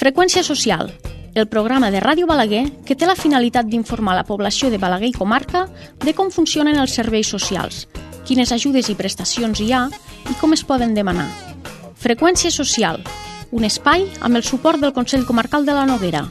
Freqüència social, el programa de Ràdio Balaguer que té la finalitat d'informar la població de Balaguer i comarca de com funcionen els serveis socials, quines ajudes i prestacions hi ha i com es poden demanar. Freqüència social, un espai amb el suport del Consell Comarcal de la Noguera.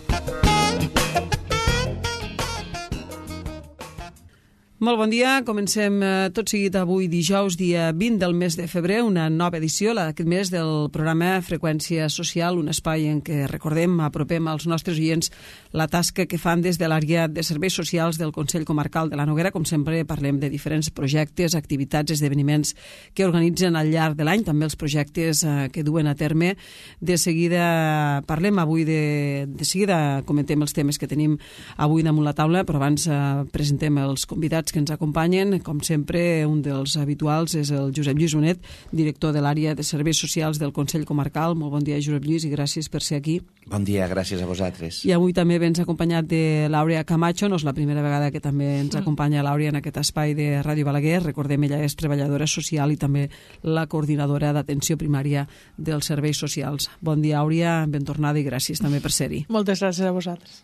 Molt bon dia, comencem tot seguit avui dijous, dia 20 del mes de febrer, una nova edició, aquest mes del programa Freqüència Social, un espai en què recordem, apropem als nostres oients la tasca que fan des de l'àrea de serveis socials del Consell Comarcal de la Noguera. Com sempre parlem de diferents projectes, activitats, esdeveniments que organitzen al llarg de l'any, també els projectes que duen a terme. De seguida parlem avui, de seguida comentem els temes que tenim avui damunt la taula, però abans presentem els convidats que ens acompanyen. Com sempre, un dels habituals és el Josep Lluís Bonet, director de l'àrea de serveis socials del Consell Comarcal. Molt bon dia, Josep Lluís, i gràcies per ser aquí. Bon dia, gràcies a vosaltres. I avui també vens acompanyat de l'Àurea Camacho. No és la primera vegada que també ens acompanya l'Àurea en aquest espai de Ràdio Balaguer. Recordem, ella és treballadora social i també la coordinadora d'atenció primària dels serveis socials. Bon dia, Àurea, ben tornada i gràcies també per ser-hi. Moltes gràcies a vosaltres.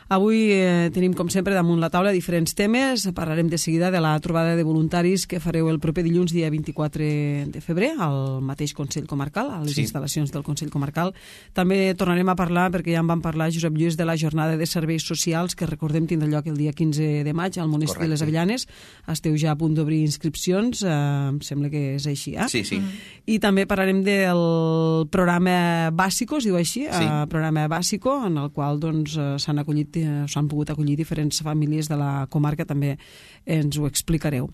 Avui tenim, com sempre, damunt la taula diferents temes. Parlarem de seguida de la trobada de voluntaris que fareu el proper dilluns, dia 24 de febrer, al mateix Consell Comarcal, a les instal·lacions del Consell Comarcal. També tornarem a parlar, perquè ja en vam parlar, Josep Lluís, de la jornada de serveis socials, que recordem tindrà lloc el dia 15 de maig al municipi de les Avellanes. Esteu ja a punt d'obrir inscripcions, em sembla que és així, eh? Sí, sí. I també parlarem del programa Bàsico, es diu així, programa Bàsico, en el qual s'han pogut acollir diferents famílies de la comarca, també ens ho explicareu.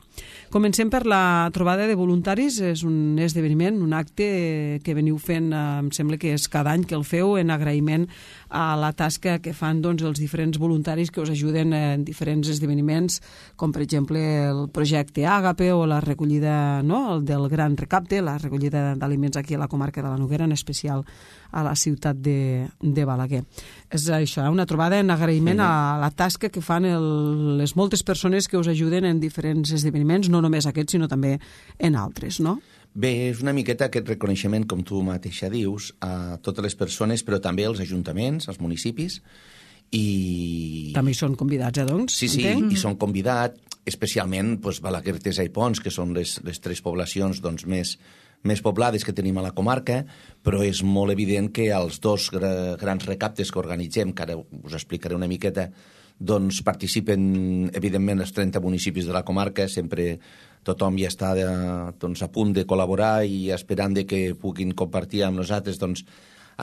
Comencem per la trobada de voluntaris. És un esdeveniment, un acte que veniu fent, em sembla que és cada any que el feu, en agraïment a la tasca que fan els diferents voluntaris que us ajuden en diferents esdeveniments, com per exemple el projecte Àgape o la recollida del Gran Recapte, la recollida d'aliments aquí a la comarca de la Noguera, en especial a la ciutat de Balaguer. És això, una trobada en agraïment a la tasca que fan les moltes persones que us ajuden en diferents esdeveniments, no només aquests, sinó també en altres, no? Bé, és una miqueta aquest reconeixement, com tu mateixa dius, a totes les persones, però també als ajuntaments, als municipis, i... També hi són convidats, doncs? Sí, i són convidats, especialment Balaguer, Tesa i Pons, que són les tres poblacions més poblades que tenim a la comarca, però és molt evident que els dos grans recaptes que organitzem, que ara us explicaré una miqueta, participen, evidentment, els 30 municipis de la comarca. Sempre tothom ja està a punt de col·laborar i esperant que puguin compartir amb nosaltres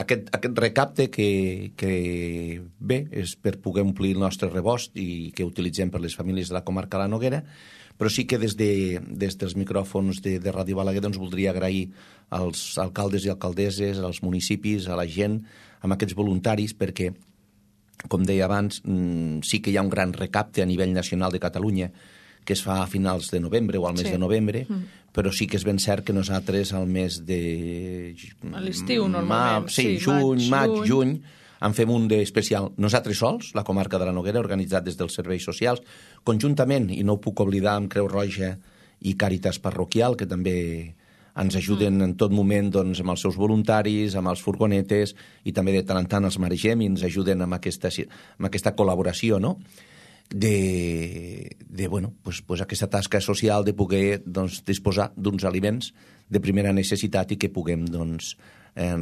aquest recapte que bé, és per poder omplir el nostre rebost i que utilitzem per les famílies de la comarca de la Noguera. Però sí que des dels micròfons de Ràdio Balaguer voldria agrair als alcaldes i alcaldesses, als municipis, a la gent, amb aquests voluntaris, perquè, com deia abans, sí que hi ha un gran recapte a nivell nacional de Catalunya que es fa a finals de novembre o al mes de novembre, però sí que és ben cert que nosaltres al mes de... A l'estiu, normalment. Juny, en fem un d'especial nosaltres sols, la comarca de la Noguera, organitzat des dels serveis socials, conjuntament, i no ho puc oblidar, amb Creu Roja i Càritas Parroquial, que també ens ajuden en tot moment amb els seus voluntaris, amb els furgonetes, i també de tant en tant els maregem i ens ajuden amb aquesta col·laboració, no? Aquesta tasca social de poder disposar d'uns aliments de primera necessitat i que puguem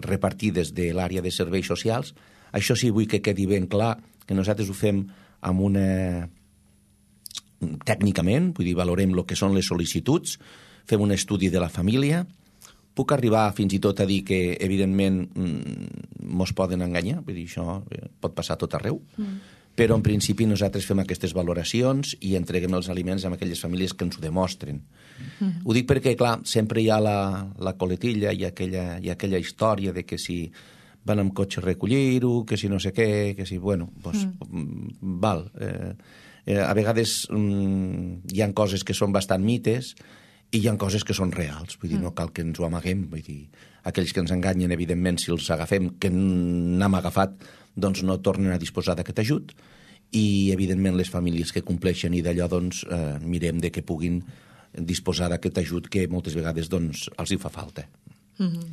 repartir des de l'àrea de serveis socials. Això sí, vull que quedi ben clar que nosaltres ho fem tècnicament, vull dir, valorem el que són les sol·licituds, fem un estudi de la família. Puc arribar fins i tot a dir que, evidentment, mos poden enganyar, vull dir, això pot passar a tot arreu, però en principi nosaltres fem aquestes valoracions i entreguem els aliments a aquelles famílies que ens ho demostren. Ho dic perquè, clar, sempre hi ha la coletilla i aquella història de que si van amb cotxe a recollir-ho, que si no sé què, que si, val. A vegades hi ha coses que són bastant mites i hi ha coses que són reals, vull dir, no cal que ens ho amaguem, vull dir, aquells que ens enganyen, evidentment, si els agafem, que n'hem agafat, no tornen a disposar d'aquest ajut, i, evidentment, les famílies que compleixen i d'allò, mirem de que puguin disposar d'aquest ajut que moltes vegades els hi fa falta.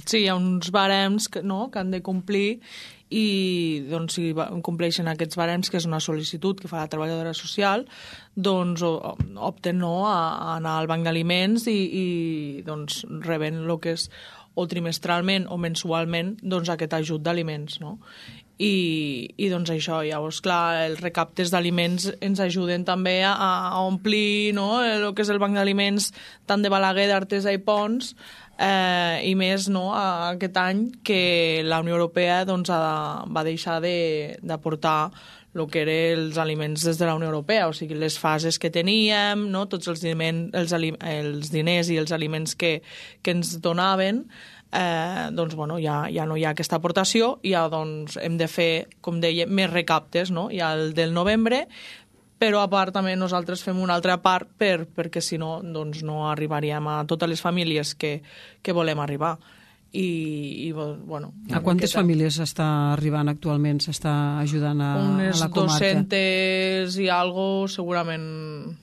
Sí, hi ha uns barems que han de complir i doncs, si compleixen aquests barems, que és una sol·licitud que fa la treballadora social, doncs opten a anar al banc d'aliments i doncs, reben el que és o trimestralment o mensualment doncs, aquest ajut d'aliments, no? I doncs això, llavors, clar, els recaptes d'aliments ens ajuden també a omplir, no?, el que és el banc d'aliments tant de Balaguer, d'Artesa i Pons, i més, no?, aquest any que la Unió Europea doncs, va deixar d'aportar el que eren els aliments des de la Unió Europea, o sigui, les fases que teníem, no?, tots els diners i els aliments que ens donaven, doncs, bueno, ja no hi ha aquesta aportació, ja doncs, hem de fer, com deia, més recaptes, no?, ja el del novembre, però a part també nosaltres fem una altra part perquè si no, doncs no arribaríem a totes les famílies que volem arribar. I bueno... A quantes famílies s'està arribant actualment, s'està ajudant a la comarca? Unes 200 i algo, segurament...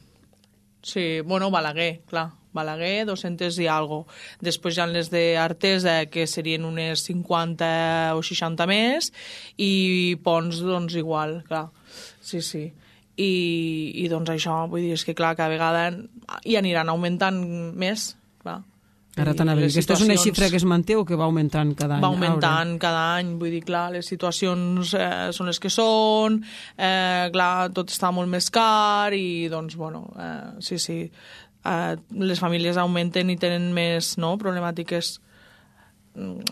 Sí, bueno, Balaguer, clar. Balaguer, 200 i algo. Després hi ha les d'Artesa, que serien unes 50 o 60 més, i Pons, doncs, igual, clar. Sí. I doncs això, vull dir, és que clar, cada vegada hi aniran augmentant més, clar. Ara t'anava a dir, aquesta és una xifra que es manté o que va augmentant cada any? Va augmentant cada any, vull dir, clar, les situacions són les que són, clar, tot està molt més car i, doncs, bueno, sí, les famílies augmenten i tenen més, no?, problemàtiques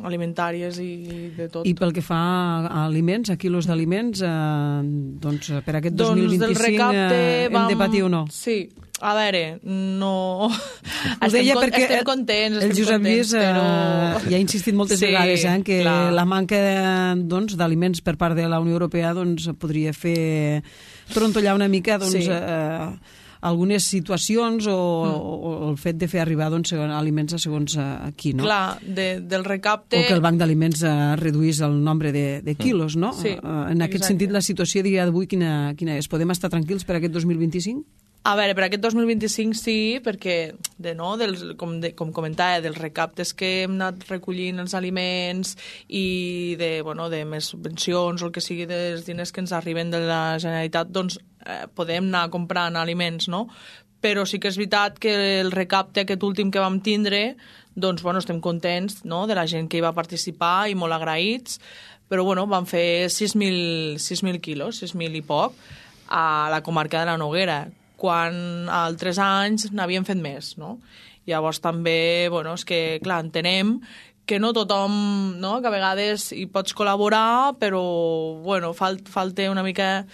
alimentàries i de tot. I pel que fa a aliments, a quilos d'aliments, doncs per aquest 2025 hem de patir o no? Sí. A veure, no... Ho deia perquè estem contents, el Josep Lluís però... ja ha insistit moltes vegades en que la manca d'aliments per part de la Unió Europea podria fer trontollar una mica algunes situacions o el fet de fer arribar aliments a segons aquí, no? Clar, del recapte... O que el banc d'aliments reduís el nombre de quilos, no? Sí, en aquest sentit, la situació dia d'avui quina és? Podem estar tranquils per aquest 2025? A veure, per aquest 2025 sí, perquè, com comentava, dels recaptes que hem anat recollint els aliments i de més subvencions o el que sigui dels diners que ens arriben de la Generalitat, doncs podem anar comprant aliments, no? Però sí que és veritat que el recapte aquest últim que vam tindre, doncs, estem contents, no?, de la gent que hi va participar i molt agraïts, però, vam fer 6.000 quilos, 6.000 i poc, a la comarca de la Noguera, quan altres anys n'havien fet més, no? Llavors també, és que, clar, entenem que no tothom, no?, que a vegades hi pots col·laborar, però, falta una mica...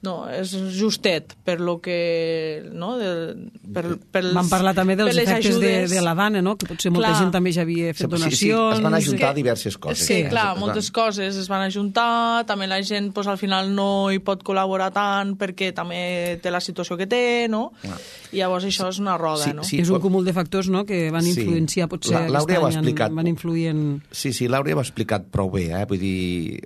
No, és justet per lo que... No? Vam parlar també dels efectes de la dana, no?, que potser molta gent també ja havia fet donacions... Sí, es van ajuntar diverses coses. Sí, clar, moltes coses es van ajuntar, també la gent al final no hi pot col·laborar tant perquè també té la situació que té, no? I llavors això és una roda, no? És un cúmul de factors, no?, que van influenciar potser aquest any, van influir en... Sí, l'Àurea ho ha explicat prou bé, vull dir...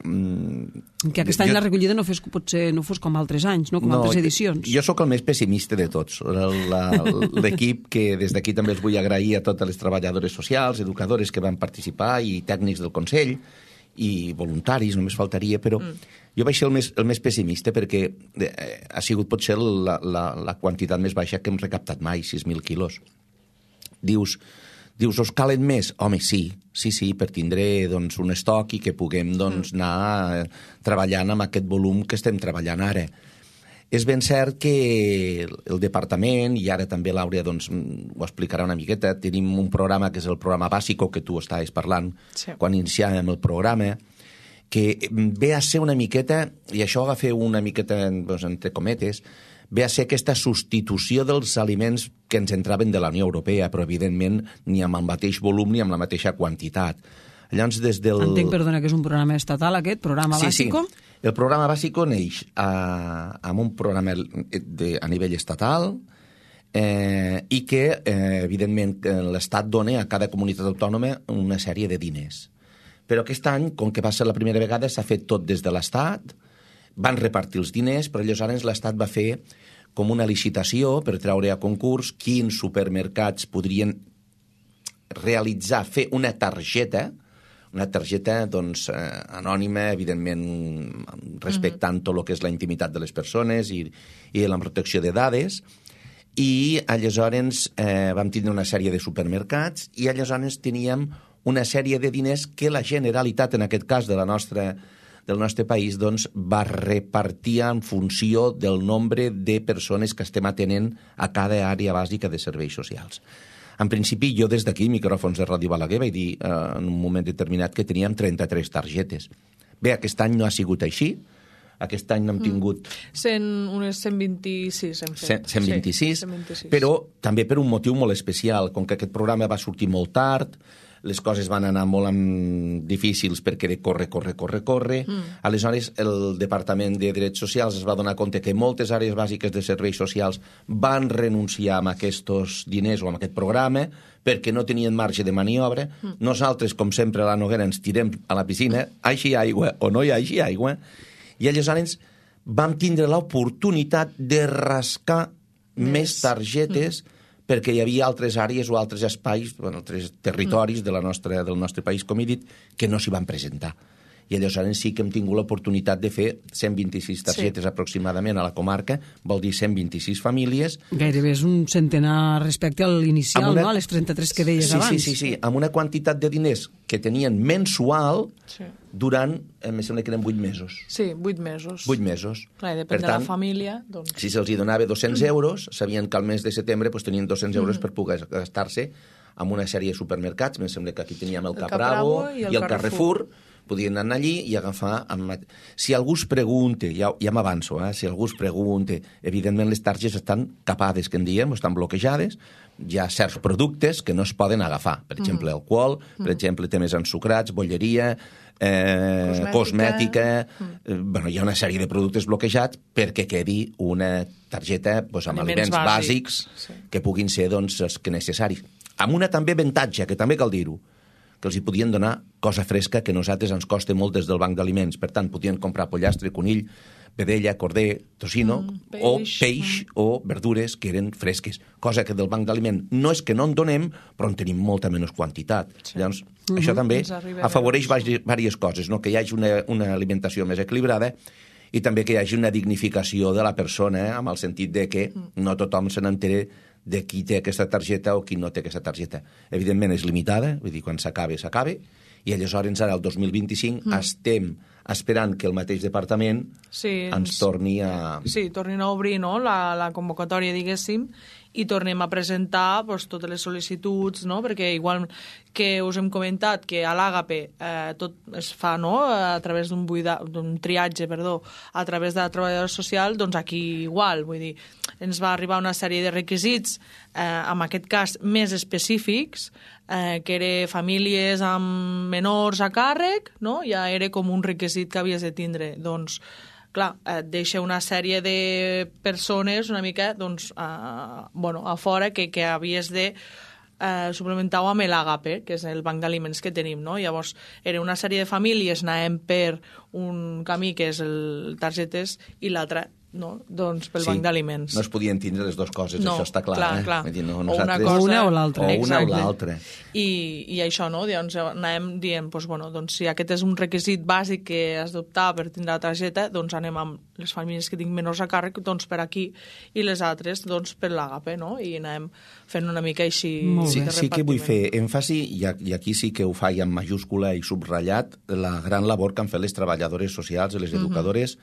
Que aquest any la recollida potser no fos com altres anys, no?, com altres edicions. Jo sóc el més pessimista de tots. L'equip, que des d'aquí també els vull agrair a totes les treballadores socials, educadores que van participar i tècnics del Consell i voluntaris, només faltaria, però jo vaig ser el més pessimista perquè ha sigut potser la quantitat més baixa que hem recaptat mai, 6.000 quilos. Dius, us calen més? Home, sí, per tindre un estoc i que puguem anar treballant amb aquest volum que estem treballant ara. És ben cert que el departament, i ara també l'Àurea ho explicarà una miqueta, tenim un programa que és el programa Bàsico, que tu estaves parlant quan iniciàvem el programa, que ve a ser una miqueta, i això va fer una miqueta entre cometes, ve a ser aquesta substitució dels aliments que ens entraven de la Unió Europea, però evidentment ni amb el mateix volum ni amb la mateixa quantitat. Llavors, des del... Entenc, perdona, que és un programa estatal aquest, programa Bàsico? Sí. El programa Bàsico neix amb un programa a nivell estatal i que, evidentment, l'Estat dona a cada comunitat autònoma una sèrie de diners. Però aquest any, com que va ser la primera vegada, s'ha fet tot des de l'Estat, van repartir els diners, però aleshores l'Estat va fer com una licitació per treure a concurs quins supermercats podrien fer una targeta una targeta doncs, anònima, evidentment respectant tot el que és la intimitat de les persones i la protecció de dades, i aleshores vam tindre una sèrie de supermercats i aleshores teníem una sèrie de diners que la Generalitat, en aquest cas del nostre país, doncs, va repartir en funció del nombre de persones que estem atenent a cada àrea bàsica de serveis socials. En principi, jo des d'aquí, micròfons de Ràdio Balaguer, vaig dir en un moment determinat que teníem 33 targetes. Bé, aquest any no ha sigut així. Aquest any n'hem tingut... Unes 126 hem fet. 126, sí, però també per un motiu molt especial. Com que aquest programa va sortir molt tard, les coses van anar molt difícils perquè era corre. Aleshores, el Departament de Drets Socials es va donar compte que moltes àrees bàsiques de serveis socials van renunciar a aquests diners o a aquest programa perquè no tenien marge de maniobra. Nosaltres, com sempre, a la Noguera ens tirem a la piscina, hi ha aigua o no hi hagi aigua, i aleshores vam tindre l'oportunitat de rascar més targetes perquè hi havia altres àrees o altres espais, altres territoris del nostre país, com he dit, que no s'hi van presentar. I aleshores sí que hem tingut l'oportunitat de fer 126 targetes aproximadament a la comarca, vol dir 126 famílies. Gairebé és un centenar respecte a l'inicial, no? A les 33 que deies abans. Sí, amb una quantitat de diners que tenien mensual durant, em sembla que eren 8 mesos. Sí, 8 mesos. 8 mesos. Clar, depèn de la família. Doncs... Si se'ls donava 200 euros, sabien que al mes de setembre tenien 200 euros per poder gastar-se en una sèrie de supermercats. Em sembla que aquí teníem el Capravo i el Carrefour. Podien anar allí i agafar... Si algú es pregunta, ja m'avanço, si algú es pregunta, evidentment les targetes estan capades, que en diem, estan bloquejades, hi ha certs productes que no es poden agafar, per exemple, alcohol, per exemple, temes ensucrats, bolleria, cosmètica... Hi ha una sèrie de productes bloquejats perquè quedi una targeta amb aliments bàsics que puguin ser els que necessaris. Amb una també avantatge, que també cal dir-ho, que els hi podien donar cosa fresca que a nosaltres ens costa molt des del banc d'aliments. Per tant, podien comprar pollastre, conill, vedella, corder, tocino, o peix o verdures que eren fresques. Cosa que del banc d'aliment no és que no en donem, però en tenim molta menys quantitat. Llavors, això també afavoreix diverses coses, no? Que hi hagi una alimentació més equilibrada i també que hi hagi una dignificació de la persona, amb el sentit de que no tothom se n'entere de qui té aquesta targeta o qui no té aquesta targeta. Evidentment és limitada, vull dir, quan s'acabe, i aleshores ara, el 2025, estem esperant que el mateix departament ens torni a... Sí, tornin a obrir la convocatòria, diguéssim, i tornem a presentar totes les sol·licituds, no? Perquè igual que us hem comentat que a l'Àgape tot es fa a través d'un triatge, a través de la treballadora social, doncs aquí igual, vull dir, ens va arribar una sèrie de requisits, en aquest cas més específics, que eren famílies amb menors a càrrec, no? Ja era com un requisit que havies de tindre, doncs clar, et deixa una sèrie de persones una mica a fora que havies de suplementar-ho amb l'Àgape, que és el banc d'aliments que tenim, no? Llavors, era una sèrie de famílies, anàvem per un camí que és el targetes i l'altre doncs pel banc d'aliments. No es podien tindre les dues coses, això està clar. Clar. O una o l'altra. O una o l'altra. I això, no? Doncs anàvem dient, doncs si aquest és un requisit bàsic que has d'optar per tindre la targeta, doncs anem amb les famílies que tinc menors a càrrec, doncs per aquí, i les altres, doncs per l'Àgape, no? I anem fent una mica així de repartiment. Sí que vull fer èmfasi, i aquí sí que ho faig en majúscula i subratllat, la gran labor que han fet les treballadores socials i les educadores,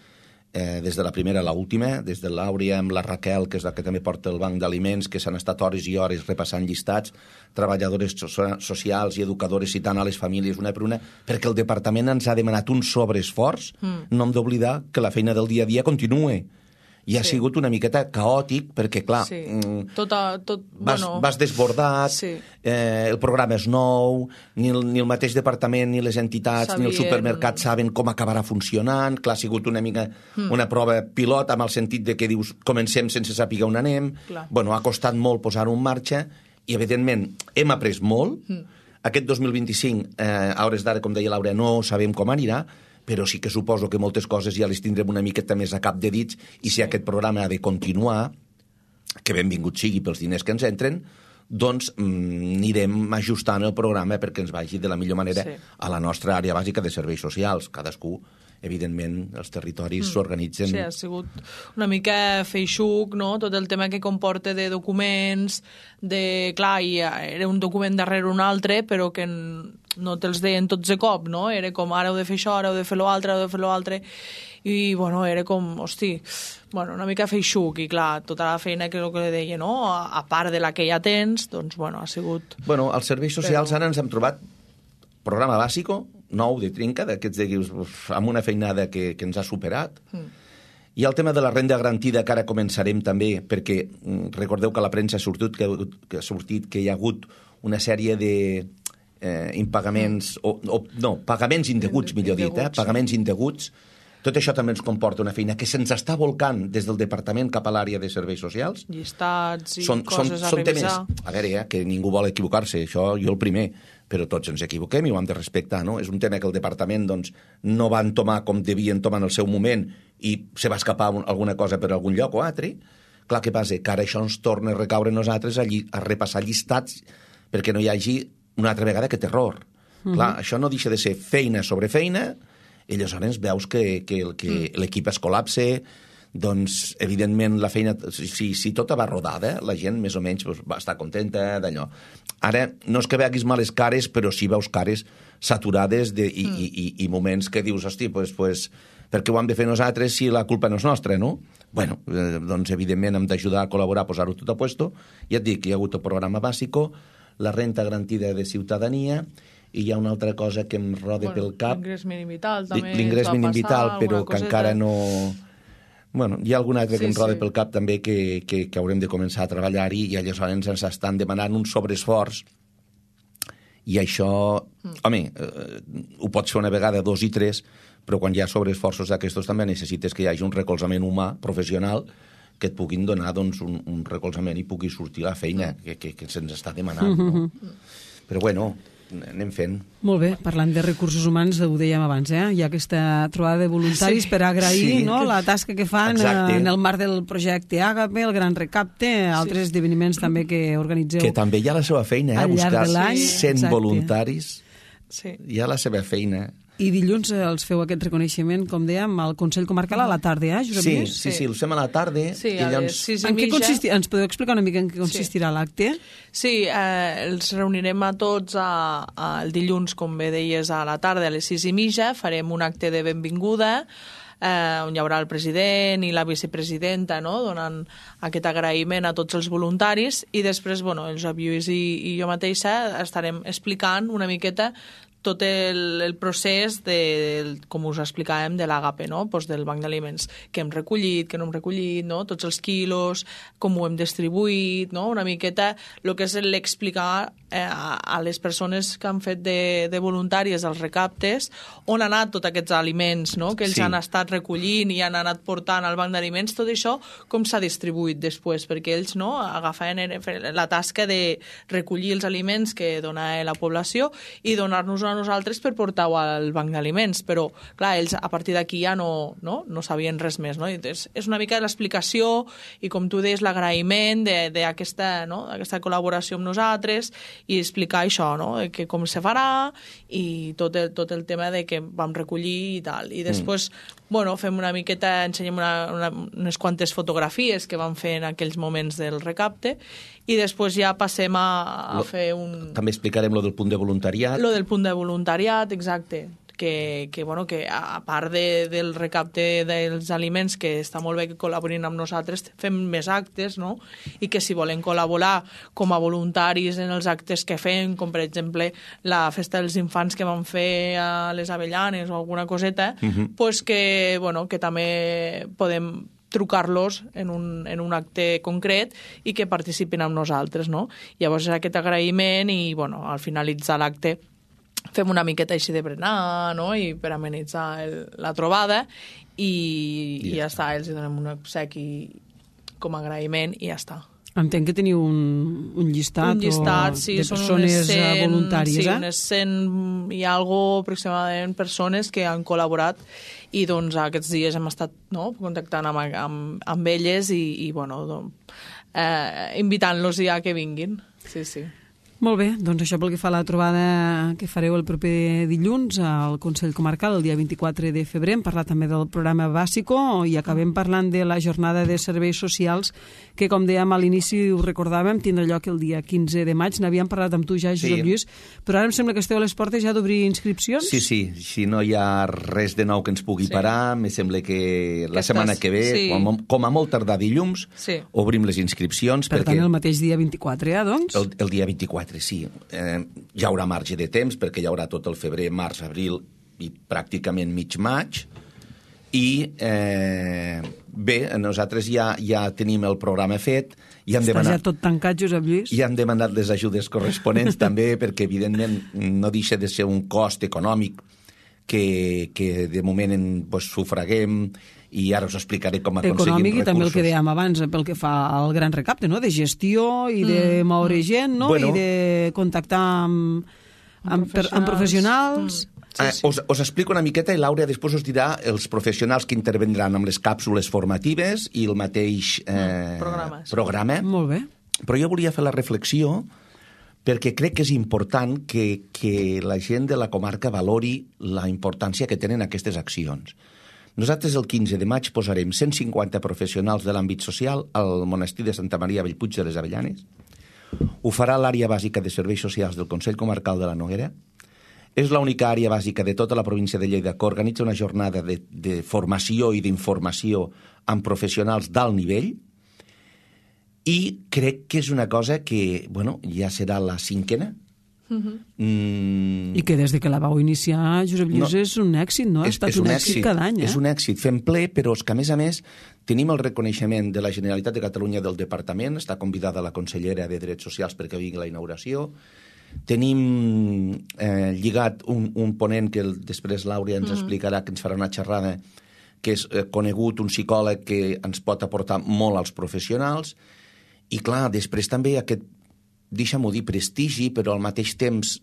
des de la primera a l'última, des de l'Àurea amb la Raquel, que és la que també porta el banc d'aliments, que s'han estat hores i hores repassant llistats, treballadores socials i educadores citant a les famílies una per una, perquè el departament ens ha demanat un sobreesforç, no hem d'oblidar que la feina del dia a dia continua. I ha sigut una miqueta caòtic, perquè, clar, vas desbordat, el programa és nou, ni el mateix departament, ni les entitats, ni el supermercat saben com acabarà funcionant. Clar, ha sigut una mica una prova pilot, amb el sentit de que dius, comencem sense saber on anem. Bueno, ha costat molt posar-ho en marxa, i, evidentment, hem après molt. Aquest 2025, a hores d'ara, com deia Laura, no sabem com anirà, però sí que suposo que moltes coses ja les tindrem una miqueta més a cap de dits, i si aquest programa ha de continuar, que benvingut sigui pels diners que ens entren, doncs anirem ajustant el programa perquè ens vagi de la millor manera a la nostra àrea bàsica de serveis socials. Cadascú, evidentment, els territoris s'organitzen... Sí, ha sigut una mica feixuc, no?, tot el tema que comporta de documents, clar, era un document darrere un altre, però que no te'ls deien tots de cop, no? Era com, ara heu de fer això, ara heu de fer l'altre, ara heu de fer l'altre... I, bueno, era com, una mica feixuc, i clar, tota la feina que és el que li deia, no?, a part de la que ja tens, doncs, bueno, ha sigut... Bueno, als serveis socials ara ens hem trobat programa bàsico, nou de trinca, d'aquests amb una feinada que ens ha superat. I el tema de la renda garantida, que ara començarem també, perquè recordeu que a la premsa ha sortit que hi ha hagut una sèrie de impagaments, pagaments indeguts, millor dit, pagaments indeguts. Tot això també ens comporta una feina que se'ns està volcant des del departament cap a l'àrea de serveis socials. Llistats i coses a revisar. Temes, a veure, que ningú vol equivocar-se, això jo el primer, però tots ens equivoquem i ho hem de respectar, no? És un tema que el departament doncs, no va entomar com devien tomar en el seu moment i se va escapar alguna cosa per algun lloc o altre. Clar, què passa? Que ara això ens torna a recaure a nosaltres a repassar llistats perquè no hi hagi una altra vegada aquest error. Clar, això no deixa de ser feina sobre feina, i aleshores veus que l'equip es col·lapse, doncs, evidentment, la feina, si tota va rodada, la gent més o menys va estar contenta d'allò. Ara, no és que veguis males cares, però sí veus cares saturades i moments que dius, hosti, pues, per què ho hem de fer nosaltres si la culpa no és nostra, no? Bueno, doncs, evidentment, hem d'ajudar a col·laborar a posar-ho tot a puesto. Ja et dic, hi ha hagut el programa bàsico, la renta garantida de ciutadania, i hi ha una altra cosa que em roda pel cap. L'ingrés mínim vital també. L'ingrés mínim vital, però que encara no... Bueno, hi ha alguna altra que em roda pel cap també que haurem de començar a treballar-hi i aleshores ens estan demanant un sobreesforç i això... Home, ho pots fer una vegada, 2 i 3, però quan hi ha sobreesforços d'aquestos també necessites que hi hagi un recolzament humà, professional, que et puguin donar doncs, un recolzament i pugui sortir la feina que se'ns està demanant. No? Però bueno... anem fent. Molt bé, parlant de recursos humans, ho dèiem abans, hi ha aquesta trobada de voluntaris per agrair la tasca que fan en el marc del projecte Àgape, el Gran Recapte, altres esdeveniments també que organitzeu. Que també hi ha la seva feina, buscar 100 voluntaris, hi ha la seva feina. I dilluns els feu aquest reconeixement, com dèiem, al Consell Comarcal a la tarda, Josep Lluís? Sí, els fem a la tarda. Sí, a les 6:30. En què consistirà? Ens podeu explicar una mica en què consistirà l'acte? Sí, els reunirem a tots el dilluns, com bé deies, a la tarda, a les 6:30. Farem un acte de benvinguda, on hi haurà el president i la vicepresidenta, no?, donant aquest agraïment a tots els voluntaris, i després, el Josep Lluís i jo mateixa estarem explicant una miqueta tot el procés, com us explicàvem, de l'Àgape, no? Pues del banc d'aliments, que hem recollit, que no hem recollit, no? Tots els quilos, com ho hem distribuït, no? Una miqueta el que és l'explicar a les persones que han fet de voluntàries els recaptes on han anat tots aquests aliments, no? Que ells han estat recollint i han anat portant al banc d'aliments, tot això com s'ha distribuït després, perquè ells agafaven la tasca de recollir els aliments que donava la població i donar-nos a nosaltres per portar-ho al banc d'aliments, però clar, ells a partir d'aquí ja no sabien res més, no? Entonces, és una mica l'explicació i, com tu deies, l'agraïment d'aquesta col·laboració amb nosaltres i explicar això, no? Que com se farà i tot el tema de que vam recollir i tal. I després, fem una miqueta, ensenyem unes quantes fotografies que vam fer en aquells moments del recapte i després ja passem a fer un... També explicarem lo del punt de voluntariat. Lo del punt de voluntariat, exacte. Que a part del recapte dels aliments, que està molt bé que col·laborin amb nosaltres, fem més actes, no? I que si volen col·laborar com a voluntaris en els actes que fem, com per exemple la festa dels infants que vam fer a les Avellanes o alguna coseta, pues que també podem trucar-los en un acte concret i que participin amb nosaltres, no? Llavors és aquest agraïment i, al finalitzar l'acte fem una miqueta així de berenar, no?, i per amenitzar la trobada i ja està, els donem un obsequi com a agraïment i ja està. Entenc que teniu un llistat, de persones voluntàries, Sí, unes 100 i algo aproximadament persones que han col·laborat i doncs aquests dies hem estat contactant amb elles i invitant-los ja que vinguin. Sí. Molt bé, doncs això pel que fa a la trobada que fareu el proper dilluns al Consell Comarcal, el dia 24 de febrer. Hem parlat també del programa Bàsico i acabem parlant de la jornada de serveis socials que, com dèiem a l'inici, ho recordàvem, tindrà lloc el dia 15 de maig. N'havíem parlat amb tu ja, Josep Lluís, però ara em sembla que esteu a les portes ja d'obrir inscripcions. Sí, si no hi ha res de nou que ens pugui parar, me sembla que la setmana que ve, com a molt tardar dilluns, obrim les inscripcions. Per tant, el mateix dia 24, doncs? El dia 24. Sí, hi haurà marge de temps perquè hi haurà tot el febrer, març, abril i pràcticament mig maig i bé, nosaltres ja tenim el programa fet i hem demanat... Està ja tot tancat, Josep Lluís? I hem demanat les ajudes corresponents també perquè evidentment no deixa de ser un cost econòmic que de moment sufraguem i ara us explicaré com aconseguim recursos. Econòmic i també el que dèiem abans, pel que fa al gran recapte, no? De gestió i de moure gent, no? I de contactar amb professionals. Us explico una miqueta i Laura després us dirà els professionals que intervendran amb les càpsules formatives i el mateix programa. Molt bé. Però jo volia fer la reflexió perquè crec que és important que la gent de la comarca valori la importància que tenen aquestes accions. Nosaltres el 15 de maig posarem 150 professionals de l'àmbit social al monestir de Santa Maria Bellpuig de les Avellanes. Ho farà l'àrea bàsica de serveis socials del Consell Comarcal de la Noguera. És l'única àrea bàsica de tota la província de Lleida que organitza una jornada de formació i d'informació amb professionals d'alt nivell i crec que és una cosa que, ja serà la 5ª. I que des de que la vau iniciar, Josep Lluís, és un èxit, no? Ha estat un èxit cada any, És un èxit, fem ple, però és que a més tenim el reconeixement de la Generalitat de Catalunya del Departament, està convidada la consellera de Drets Socials perquè vingui a la inauguració, tenim lligat un ponent que després Laura ens explicarà, que ens farà una xerrada, que és conegut, un psicòleg que ens pot aportar molt als professionals, i clar, després també aquest, deixa'm-ho dir, prestigi, però al mateix temps,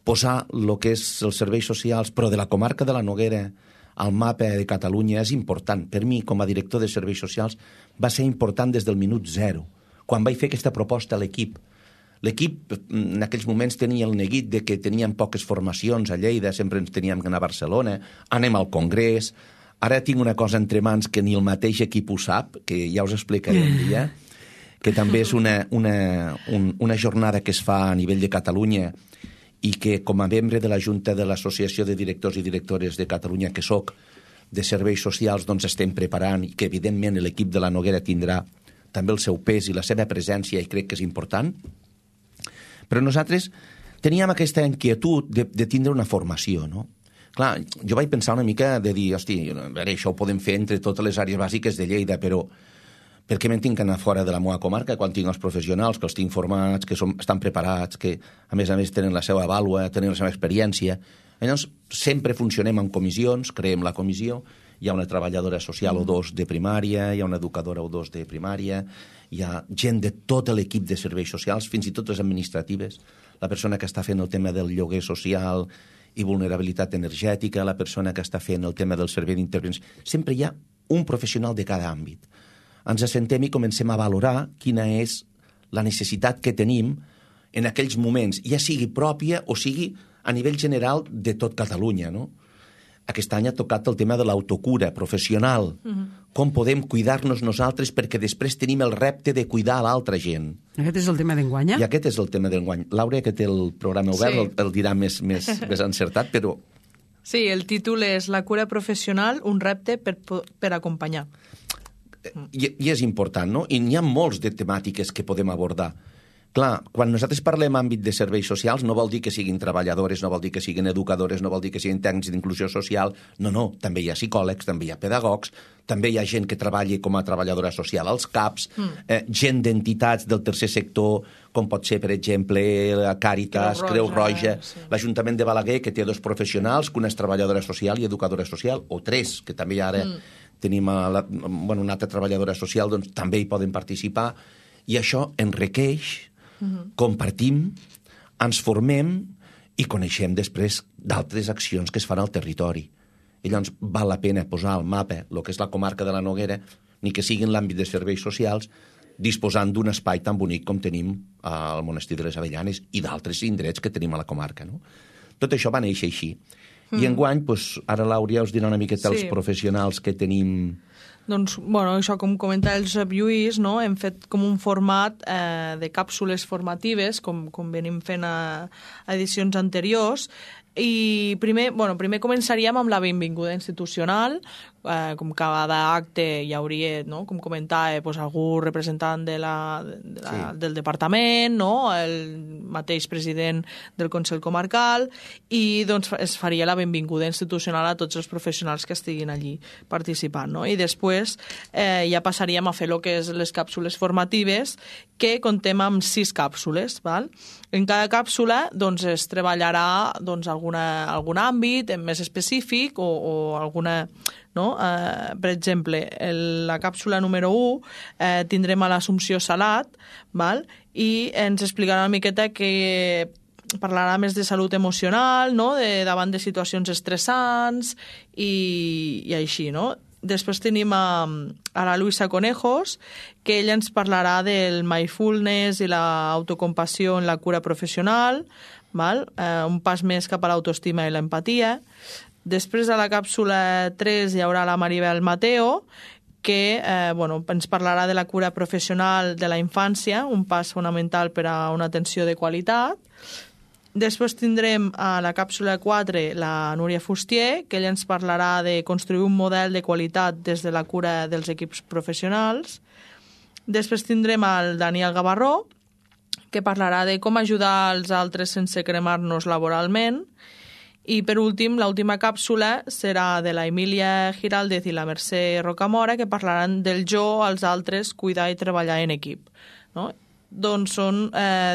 posar el que és els serveis socials, però de la comarca de la Noguera al mapa de Catalunya és important. Per mi, com a director de serveis socials, va ser important des del minut 0, quan vaig fer aquesta proposta a l'equip. L'equip en aquells moments tenia el neguit de que teníem poques formacions a Lleida, sempre ens teníem que anar a Barcelona, anem al Congrés, ara tinc una cosa entre mans que ni el mateix equip ho sap, que ja us explicaré un dia, que també és una jornada que es fa a nivell de Catalunya i que com a membre de la Junta de l'Associació de Directors i Directores de Catalunya, que soc, de serveis socials, estem preparant i que evidentment l'equip de la Noguera tindrà també el seu pes i la seva presència i crec que és important. Però nosaltres teníem aquesta inquietud de tindre una formació, no? Clar, jo vaig pensar una mica de dir, hosti, a veure, això ho podem fer entre totes les àrees bàsiques de Lleida, però per què me'n tinc que anar fora de la meva comarca quan tinc els professionals, que els tinc formats, que estan preparats, que a més tenen la seva vàlua, tenen la seva experiència. Llavors, sempre funcionem en comissions, creem la comissió, hi ha una treballadora social o dos de primària, hi ha una educadora o dos de primària, hi ha gent de tot l'equip de serveis socials, fins i tot les administratives, la persona que està fent el tema del lloguer social i vulnerabilitat energètica, la persona que està fent el tema del servei d'intervenció. Sempre hi ha un professional de cada àmbit. Ens assentem i comencem a valorar quina és la necessitat que tenim en aquells moments, ja sigui pròpia o sigui a nivell general de tot Catalunya, no? Aquest any ha tocat el tema de l'autocura professional. Com podem cuidar-nos nosaltres perquè després tenim el repte de cuidar a l'altra gent. Aquest és el tema d'enguany, I aquest és el tema d'enguany. Laura, que té el programa obert, el dirà més encertat, però... Sí, el títol és La cura professional, un repte per acompanyar. I és important, no? I n'hi ha molts de temàtiques que podem abordar. Clar, quan nosaltres parlem àmbit de serveis socials no vol dir que siguin treballadores, no vol dir que siguin educadores, no vol dir que siguin tècnics d'inclusió social. No, també hi ha psicòlegs, també hi ha pedagogs, també hi ha gent que treballa com a treballadora social als CAPs, gent d'entitats del tercer sector, com pot ser, per exemple, Càritas, Creu Roja, l'Ajuntament de Balaguer, que té 2 professionals, que una és treballadora social i educadora social, o 3, que també ara tenim una altra treballadora social, doncs també hi poden participar, i això enriqueix, compartim, ens formem i coneixem després d'altres accions que es fan al territori. I llavors val la pena posar al mapa el que és la comarca de la Noguera, ni que sigui en l'àmbit de serveis socials, disposant d'un espai tan bonic com tenim al Monestir de les Avellanes i d'altres indrets que tenim a la comarca, no? Tot això va néixer així. I enguany, doncs, ara l'Àurea us dirà una miqueta els professionals que tenim. Doncs, bueno, això com comenta el Josep Lluís, no? Hem fet com un format de càpsules formatives, com venim fent a edicions anteriors, i primer començaríem amb la benvinguda institucional, com cada acte hi hauria, no? Com comentava, algú representant del departament, no? El mateix president del Consell Comarcal, i doncs es faria la benvinguda institucional a tots els professionals que estiguin allí participant, no? I després ja passaríem a fer el que és les càpsules formatives, que contem amb 6 càpsules, val? En cada càpsula doncs, es treballarà doncs, algun àmbit més específic o alguna... No? Per exemple, la càpsula número 1 tindrem a l'Assumpció Salat, val? I ens explicarà una miqueta que parlarà més de salut emocional, no? Davant de situacions estressants i així, no? Després tenim a la Luisa Conejos, que ella ens parlarà del mindfulness i l'autocompassió en la cura professional, val? Un pas més cap a l'autoestima i l'empatia. Després, a la càpsula 3, hi haurà la Maribel Mateo, que ens parlarà de la cura professional de la infància, un pas fonamental per a una atenció de qualitat. Després tindrem a la càpsula 4 la Núria Fustier, que ella ens parlarà de construir un model de qualitat des de la cura dels equips professionals. Després tindrem el Daniel Gavarró, que parlarà de com ajudar els altres sense cremar-nos laboralment. I, per últim, l'última càpsula serà de la Emília Giraldez i la Mercè Rocamora, que parlaran del jo als altres, cuidar i treballar en equip, no? Doncs són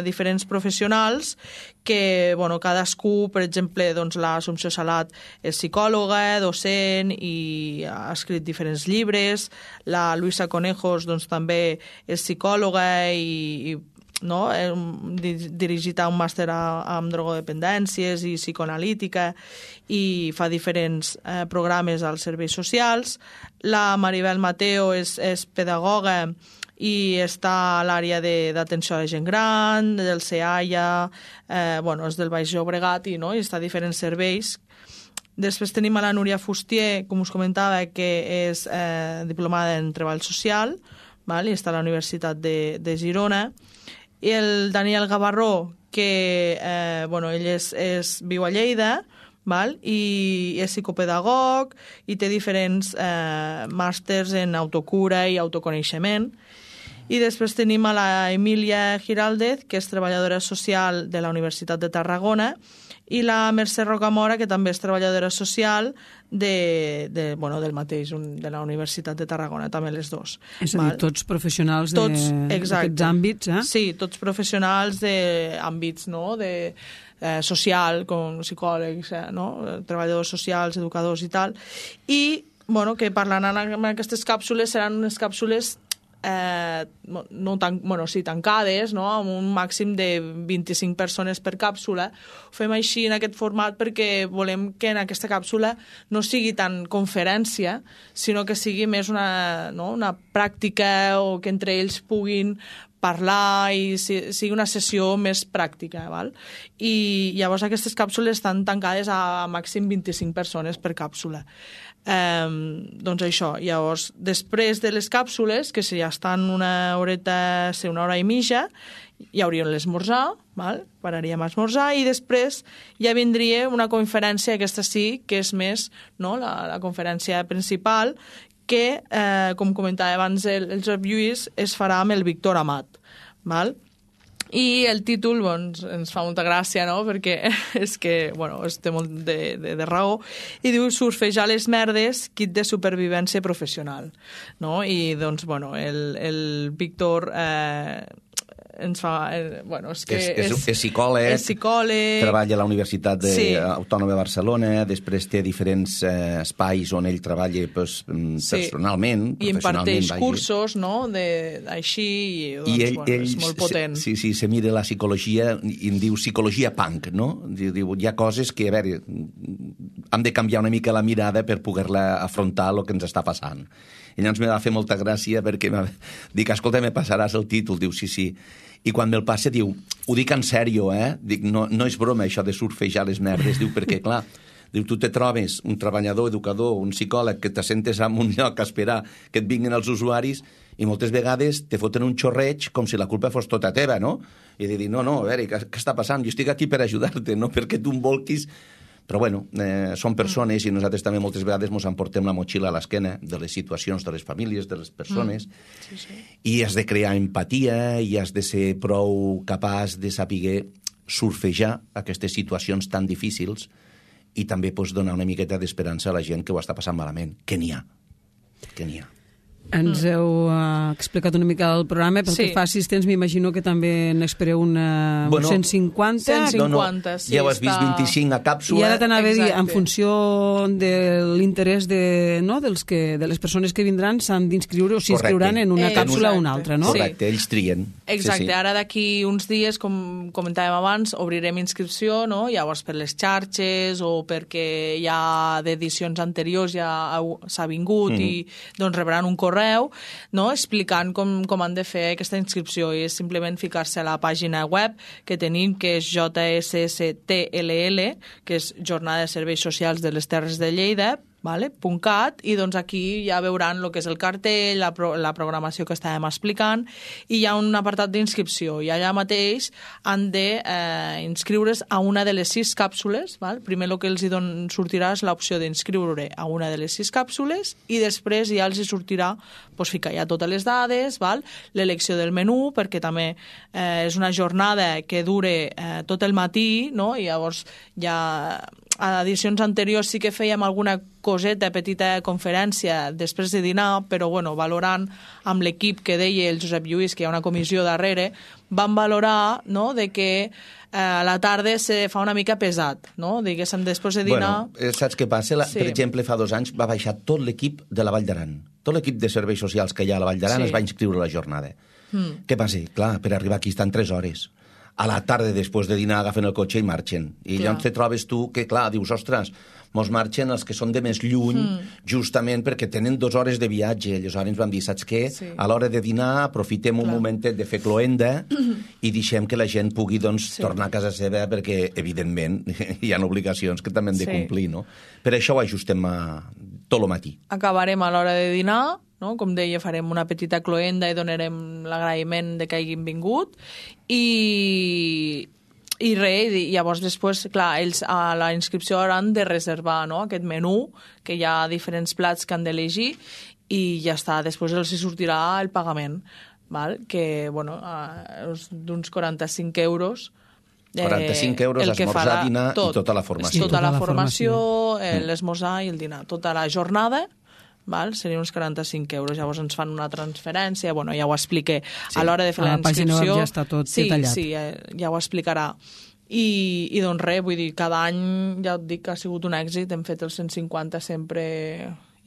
diferents professionals que, cadascú, per exemple, l'Assumpció Salat és psicòloga, docent i ha escrit diferents llibres. La Luisa Conejos també és psicòloga i no? Dirigit a un màster amb drogodependències i psicoanalítica i fa diferents programes als serveis socials. La Maribel Mateo és pedagoga i està a l'àrea d'atenció a la gent gran, del CEAIA, és del Baix Llobregat i està a diferents serveis. Després tenim a la Núria Fustier, com us comentava, que és diplomada en treball social, i està a la Universitat de Girona. I el Daniel Gavarró, que ell viu a Lleida, i és psicopedagog i té diferents màsters en autocura i autoconeixement. I després tenim a la Emília Giraldez, que és treballadora social de la Universitat de Tarragona, i la Mercè Rocamora, que també és treballadora social del mateix, de la Universitat de Tarragona, també les dos. És a dir, tots professionals d'aquests àmbits, eh? Sí, tots professionals d'àmbits, no?, social, com psicòlegs, treballadors socials, educadors i tal, i que parlaran en aquestes càpsules seran unes càpsules tancades, amb un màxim de 25 persones per càpsula. Ho fem així en aquest format perquè volem que en aquesta càpsula no sigui tant conferència, sinó que sigui més una pràctica o que entre ells puguin parlar i sigui una sessió més pràctica. Val? I llavors aquestes càpsules estan tancades a màxim 25 persones per càpsula. Doncs això, llavors, després de les càpsules, que si ja estan una hora i mitja, hi hauria l'esmorzar, pararíem a esmorzar, i després ja vindria una conferència, aquesta sí, que és més la conferència principal, que, com comentava abans el Josep Lluís, es farà amb el Víctor Amat. I el títol ens fa molta gràcia, no?, perquè és que té molt de raó, i diu surfejar les merdes, kit de supervivència professional, no? I doncs, el Víctor ens fa... És psicòleg, treballa a la Universitat Autònoma de Barcelona, després té diferents espais on ell treballa personalment, i imparteix cursos, així, i és molt potent. Sí, se mira la psicologia i en diu psicologia punk, no? Diu, hi ha coses que, a veure, hem de canviar una mica la mirada per poder-la afrontar el que ens està passant. I llavors me va fer molta gràcia perquè dic, escolta, me passaràs el títol, diu, sí. I quan me'l passa diu, ho dic en sèrio, dic, no és broma això de surfejar les merdes, diu, perquè clar, diu, tu te trobes un treballador, educador, un psicòleg que te sentes en un lloc a esperar que et vinguin els usuaris i moltes vegades te foten un xorreig com si la culpa fos tota teva, no? I de dir, no, a veure, què està passant? Jo estic aquí per ajudar-te, no perquè tu em volquis. Però bueno, són persones i nosaltres també moltes vegades ens emportem la motxilla a l'esquena de les situacions de les famílies, de les persones, i has de crear empatia i has de ser prou capaç de saber surfejar aquestes situacions tan difícils i també donar una miqueta d'esperança a la gent que ho està passant malament, que n'hi ha. Ens heu explicat una mica el programa, pel que fa a assistents m'imagino que també n'espereu un 150. 150, sí. Ja ho has vist, 25 a càpsula. I ara t'anava a dir, en funció de l'interès de les persones que vindran, s'han d'inscriure o s'inscriuran en una càpsula o una altra, no? Correcte, ells trien. Exacte, ara d'aquí uns dies, com comentàvem abans, obrirem inscripció, no? Llavors per les xarxes o perquè ja d'edicions anteriors ja s'ha vingut i doncs rebran un correu, no? Explicant com han de fer aquesta inscripció, i és simplement ficar-se a la pàgina web que tenim, que és JSSTLL, que és Jornada de Serveis Socials de les Terres de Lleida, .cat, i doncs aquí ja veuran el que és el cartell, la programació que estàvem explicant, i hi ha un apartat d'inscripció, i allà mateix han de inscriure's a una de les 6 càpsules. Primer el que els sortirà és l'opció d'inscriure a una de les 6 càpsules, i després ja els sortirà ficar ja totes les dades, l'elecció del menú, perquè també és una jornada que dure tot el matí, no? I llavors ja a edicions anteriors sí que fèiem alguna coseta, petita conferència després de dinar, però valorant amb l'equip que deia el Josep Lluís, que hi ha una comissió darrere, van valorar, no?, de que a la tarda se fa una mica pesat, no? Diguéssim, després de dinar... Saps què passa? Per exemple, fa 2 anys va baixar tot l'equip de la Vall d'Aran. Tot l'equip de serveis socials que hi ha a la Vall d'Aran es va inscriure a la jornada. Què passa? Clar, per arribar aquí estan 3 hores. A la tarda, després de dinar, agafen el cotxe i marxen. I llavors te trobes tu que, clar, dius, ostres, mos marxen els que són de més lluny, justament perquè tenen 2 hores de viatge. Aleshores ens vam dir, saps què? A l'hora de dinar aprofitem un momentet de fer cloenda i deixem que la gent pugui tornar a casa seva, perquè, evidentment, hi ha obligacions que també hem de complir, no? Per això ho ajustem tot el matí. Acabarem a l'hora de dinar, no? Com deia, farem una petita cloenda i donarem l'agraïment de que hagin vingut, i llavors després, clar, ells a la inscripció hauran de reservar, no?, aquest menú, que hi ha diferents plats que han d'elegir, i ja està, després els sortirà el pagament, que, és d'uns 45 euros. 45 euros, esmorzar, dinar i tota la formació. Tota la formació, l'esmorzar i el dinar. Tota la jornada, serien uns 45 euros. Llavors ens fan una transferència, ja ho expliqué a l'hora de fer la inscripció. A la pàgina web ja està tot detallat. Sí, ja ho explicarà. I doncs res, vull dir, cada any, ja et dic que ha sigut un èxit, hem fet els 150 sempre,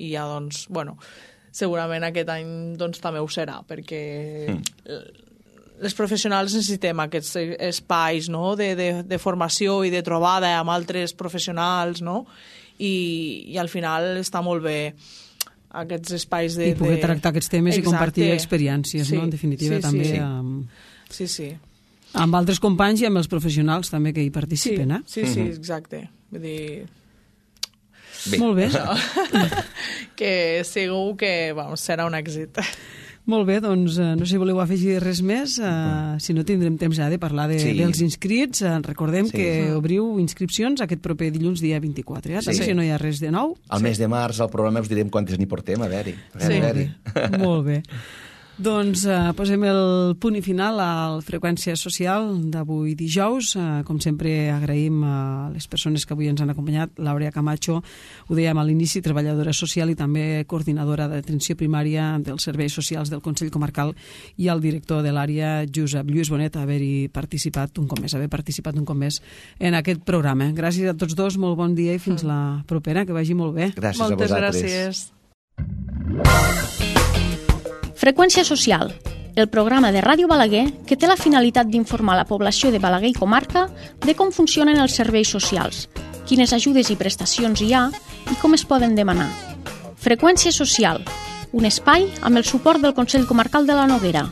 i ja doncs, segurament aquest any també ho serà, perquè les professionals necessitem aquests espais, no?, de formació i de trobada amb altres professionals, no?, i al final està molt bé aquests espais de... I poder tractar aquests temes i compartir experiències, no?, en definitiva, també. Sí. Amb altres companys i amb els professionals també que hi participen, Sí, exacte. Vull dir... Molt bé. Que segur que serà un èxit. Molt bé, doncs no sé si voleu afegir res més, si no tindrem temps ja de parlar dels inscrits. Recordem que obriu inscripcions aquest proper dilluns, dia 24. També si no hi ha res de nou. Al mes de març, al programa, us direm quantes n'hi portem, a veure. Molt bé. Doncs posem el punt i final a la freqüència social d'avui dijous. Com sempre, agraïm a les persones que avui ens han acompanyat. L'Àurea Camacho, ho dèiem a l'inici, treballadora social i també coordinadora d'atenció primària dels serveis socials del Consell Comarcal, i el director de l'àrea, Josep Lluís Bonet, haver participat un cop més en aquest programa. Gràcies a tots dos, molt bon dia i fins la propera, que vagi molt bé. Gràcies a vosaltres. Moltes gràcies. Freqüència social, el programa de Ràdio Balaguer que té la finalitat d'informar la població de Balaguer i comarca de com funcionen els serveis socials, quines ajudes i prestacions hi ha i com es poden demanar. Freqüència social, un espai amb el suport del Consell Comarcal de la Noguera.